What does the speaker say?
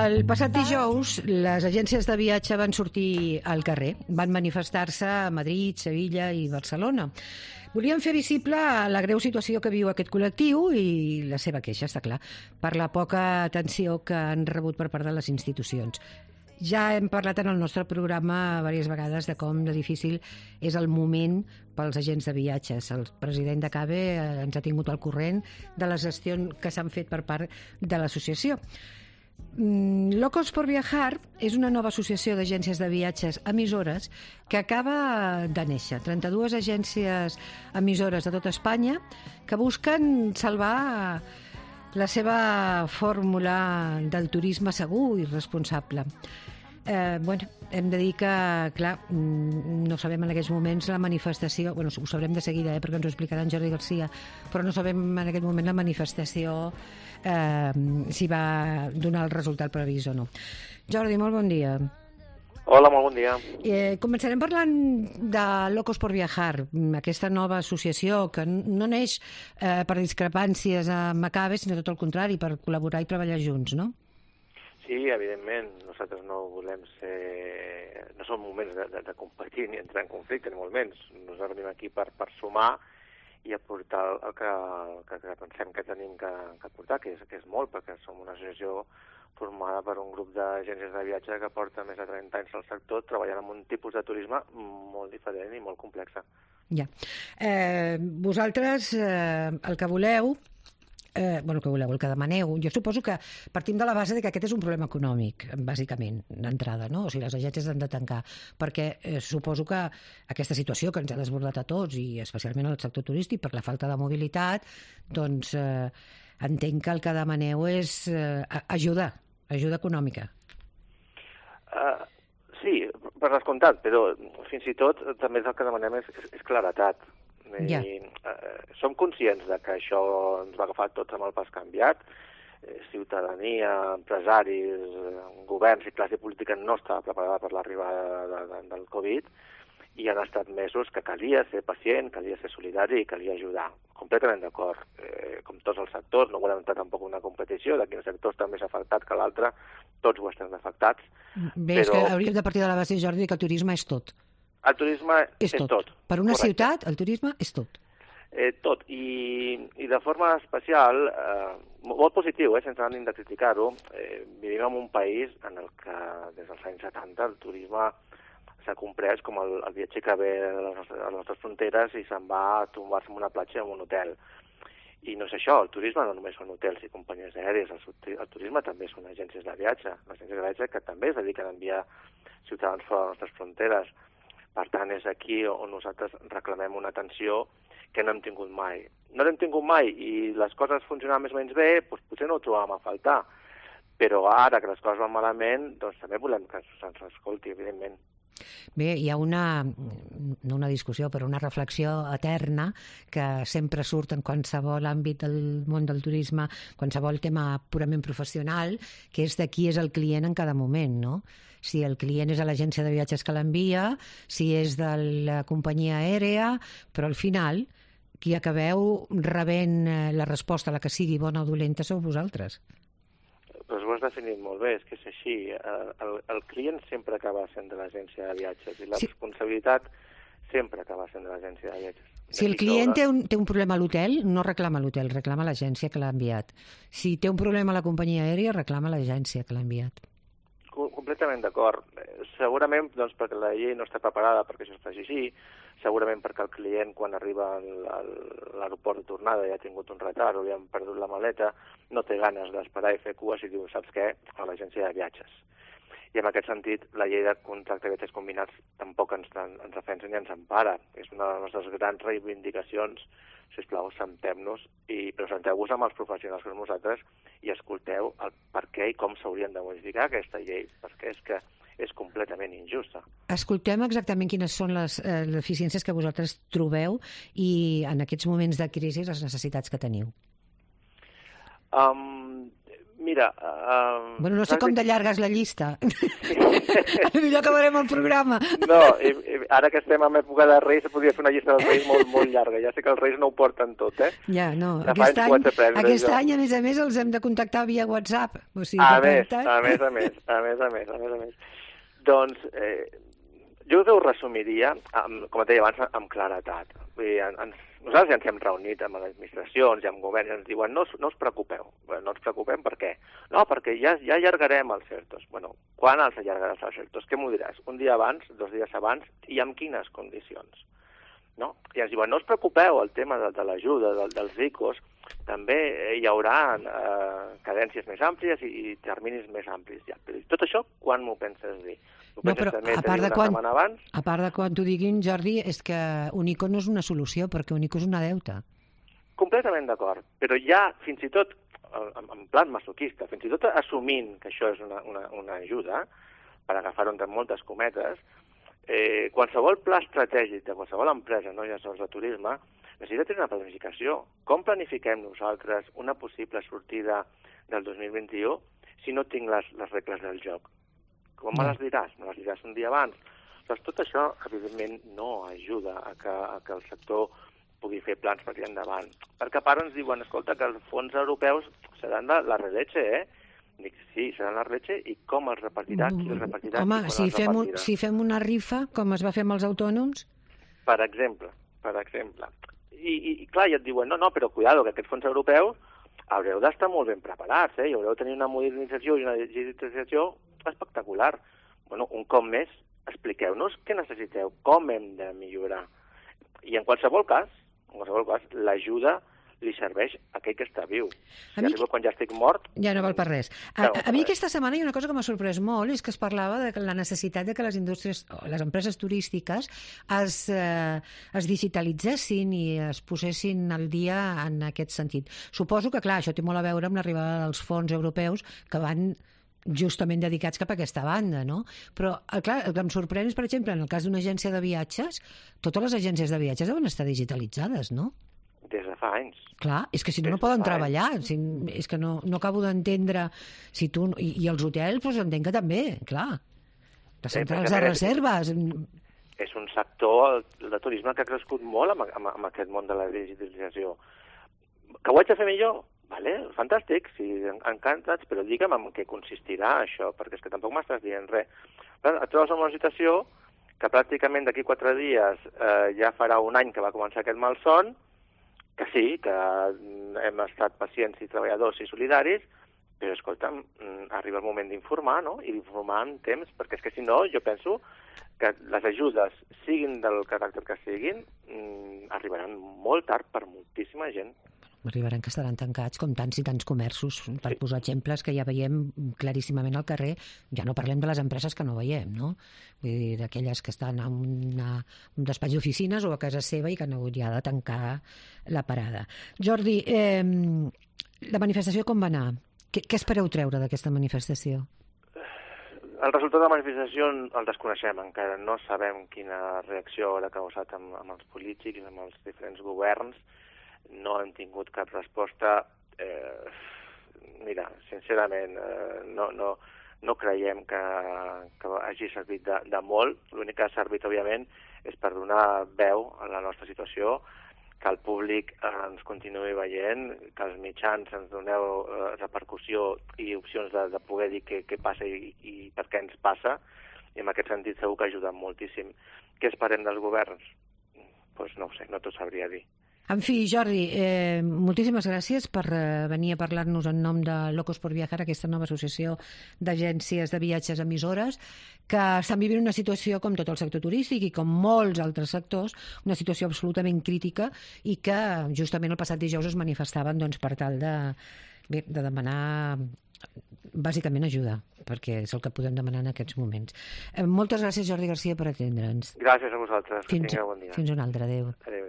El passat dijous, les agències de viatge van sortir al carrer. Van manifestar-se a Madrid, Sevilla i Barcelona. Volien fer visible la greu situació que viu aquest col·lectiu i la seva queixa, està clar, per la poca atenció que han rebut per part de les institucions. Ja hem parlat en el nostre programa diverses vegades de com de difícil és el moment pels agents de viatges. El president de CAVE ens ha tingut al corrent de les gestions que s'han fet per part de l'associació. Locos por Viajar és una nova associació d'agències de viatges emissores que acaba de néixer. 32 agències emissores de tota Espanya que busquen salvar la seva fórmula del turisme segur i responsable. Hem de dir que, clar, no sabem en aquests moments la manifestació, ho sabrem de seguida, perquè ens ho explicarà en Jordi Garcia, però no sabem en aquest moment la manifestació si va donar el resultat previst o no. Jordi, molt bon dia. Hola, molt bon dia. Començarem parlant de Locos por Viajar, aquesta nova associació que no neix per discrepàncies amb CAVE, sinó tot el contrari, per col·laborar i treballar junts, no? Sí, evidentment, nosaltres no volem ser... No són moments de competir ni entrar en conflicte, ni molt menys. Nosaltres venim aquí per sumar i aportar el que pensem que tenim que aportar, que és molt, perquè som una associació formada per un grup d'agències de viatge que porta més de 30 anys al sector treballant en un tipus de turisme molt diferent i molt complex. Ja. Vosaltres el que voleu, el que demaneu, jo suposo que partim de la base de que aquest és un problema econòmic, bàsicament, d'entrada, no? O sigui, les agències han de tancar, perquè suposo que aquesta situació que ens ha desbordat a tots, i especialment al sector turístic, per la falta de mobilitat, doncs entenc que el que demaneu és ajuda econòmica. Sí, per descomptat, però fins i tot també el que demanem és claretat. Ja. Som conscients de que això ens va agafar tots amb el pas canviat. Ciutadania, empresaris, governs i classe política no estava preparada per l'arribada del Covid i han estat mesos que calia ser pacient, calia ser solidari i calia ajudar. Completament d'acord. Com tots els sectors, no volem entrar tampoc en una competició de quin sector està més afectat que l'altre, tots ho estem afectats. Bé, és que hauríem de partir de la base, Jordi, que el turisme és tot. El turisme és tot. Per una ciutat, el turisme és tot. Tot. I de forma especial, molt positiu, sense ànim de criticar-ho, vivim en un país en el que des dels anys 70 el turisme s'ha comprès com el viatger que ve a les nostres fronteres i se'n va a tombar-se en una platja o en un hotel. I no és això, el turisme no només són hotels i companyies aèries, el turisme també són agències de viatge, agències de viatge que també es dediquen a enviar ciutadans fora de les nostres fronteres. Per tant, és aquí on nosaltres reclamem una atenció que no hem tingut mai. No l'hem tingut mai i les coses funcionaven més o menys bé, doncs potser no ho trobàvem a faltar. Però ara que les coses van malament, doncs també volem que se'ns escolti, evidentment. Bé, hi ha no una discussió, però una reflexió eterna que sempre surt en qualsevol àmbit del món del turisme, qualsevol tema purament professional, que és de qui és el client en cada moment, no? Si el client és a l'agència de viatges que l'envia, si és de la companyia aèria, però al final qui acabeu rebent la resposta, la que sigui bona o dolenta, sou vosaltres. Doncs ho has definit molt bé, és que és així. El client sempre acaba sent de l'agència de viatges i la responsabilitat sempre acaba sent de l'agència de viatges. Si el client té un problema a l'hotel, no reclama l'hotel, reclama l'agència que l'ha enviat. Si té un problema a la companyia aèria, reclama l'agència que l'ha enviat. Completament d'acord. Segurament doncs, perquè la llei no està preparada perquè això es faci així, segurament perquè el client quan arriba a l'aeroport de tornada ja ha tingut un retard o li han perdut la maleta, no té ganes d'esperar i fer cues i diu, saps què?, a l'agència de viatges. I en aquest sentit, la llei de contracte de viatges combinats tampoc ens defensa ni ens empara. És una de les nostres grans reivindicacions. Sisplau, assentem-nos i presenteu-vos amb els professionals com nosaltres i escolteu el per què i com s'haurien de modificar aquesta llei, perquè és que és completament injusta. Escoltem exactament quines són les deficiències que vosaltres trobeu i en aquests moments de crisi les necessitats que teniu. Mira... Bueno, no sé com de llarga és la llista. Millor acabarem el programa. No, ara que estem en època de Reis, podria fer una llista dels Reis molt, molt llarga. Ja sé que els Reis no ho porten tot, Ja, no. Aquest any, a més, els hem de contactar via WhatsApp. O sigui, a més. Doncs, jo us ho resumiria, com et deia abans, amb claretat. Vull dir, nosaltres ja ens hem reunit amb les administracions i amb governs i ens diuen no us preocupeu. No ens preocupem per què? No, perquè ja allargarem els ERTOs. Bueno, quan els allargaràs els ERTOs? Què m'ho diràs? Un dia abans, 2 dies abans i amb quines condicions? No? I ens diuen no us preocupeu, el tema de l'ajuda, dels ICOs, també hi haurà cadències més àmplies i terminis més amplis. Ja. Però tot això, quan m'ho penses dir? No, però a part de quan t'ho diguin, Jordi, és que un ICO no és una solució, perquè un ICO és una deuta. Completament d'acord, però ja, fins i tot, en plan masoquista, fins i tot assumint que això és una ajuda, per agafar-ho entre moltes cometes, qualsevol pla estratègic de qualsevol empresa, no ja sols de turisme, necessita tenir una planificació. Com planifiquem nosaltres una possible sortida del 2021 si no tinc les regles del joc? Com me les diràs? Me les diràs un dia abans. Doncs tot això, evidentment, no ajuda a que el sector pugui fer plans per tirar endavant. Perquè a part ens diuen, escolta, que els fons europeus seran la releche, Dic, sí, seran la releche, i com els repartirà, qui els repartirà, home, si fem una rifa, com es va fer amb els autònoms? Per exemple. I clar, ja et diuen, no, però cuidado, que aquests fons europeus haureu d'estar molt ben preparats, i haureu de tenir una modernització i una digitalització espectacular. Bueno, un cop més, expliqueu-nos què necessiteu, com hem de millorar. I en qualsevol cas, l'ajuda li serveix a aquell que està viu. Si arriba quan ja estic mort... Ja no val per res. A mi aquesta setmana hi ha una cosa que m'ha sorprès molt, és que es parlava de la necessitat de que les indústries, les empreses turístiques es digitalitzessin i es posessin al dia en aquest sentit. Suposo que, clar, això té molt a veure amb l'arribada dels fons europeus que van justament dedicats cap a aquesta banda, no? Però, clar, el que em sorprèn és, per exemple, en el cas d'una agència de viatges, totes les agències de viatges deuen estar digitalitzades, no? Des de fa anys. Clar, és que si no poden treballar. És que no acabo d'entendre si tu... I els hotels, doncs entenc que també, clar. Les centrals de reserves... És un sector, el de turisme, que ha crescut molt amb aquest món de la digitalització. Que ho haig de fer millor? Vale, fantàstic, sí, encantats, però digue'm en què consistirà això, perquè és que tampoc m'estàs dient res. Et trobes en una situació que pràcticament d'aquí 4 dies ja farà un any que va començar aquest malson, que sí, que hem estat pacients i treballadors i solidaris, però, escolta'm, arriba el moment d'informar, no? I d'informar en temps, perquè és que si no, jo penso que les ajudes, siguin del caràcter que siguin, arribaran molt tard per moltíssima gent. Arribaran que estaran tancats, com tants i tants comerços, per posar exemples que ja veiem claríssimament al carrer. Ja no parlem de les empreses que no veiem, no? Vull dir, d'aquelles que estan en un despatx d'oficines o a casa seva i que han hagut ja de tancar la parada. Jordi, la manifestació com va anar? Què espereu treure d'aquesta manifestació? El resultat de la manifestació el desconeixem encara. No sabem quina reacció haurà causat amb els polítics, amb els diferents governs. No hem tingut cap resposta. Mira, sincerament, no creiem que hagi servit de molt. L'únic que ha servit, òbviament, és per donar veu a la nostra situació, que el públic ens continuï veient, que els mitjans ens doneu repercussió i opcions de poder dir què passa i per què ens passa, i en aquest sentit segur que ha ajudat moltíssim. Què esperem dels governs? Doncs no ho sé, no t'ho sabria dir. En fi, Jordi, moltíssimes gràcies per venir a parlar-nos en nom de Locos por Viajar, aquesta nova associació d'agències de viatges emissores, que estan vivint una situació, com tot el sector turístic i com molts altres sectors, una situació absolutament crítica i que justament el passat dijous es manifestaven per tal de demanar bàsicament ajuda, perquè és el que podem demanar en aquests moments. Moltes gràcies, Jordi Garcia, per atendre'ns. Gràcies a vosaltres. Fins un altre. Adéu. Adéu.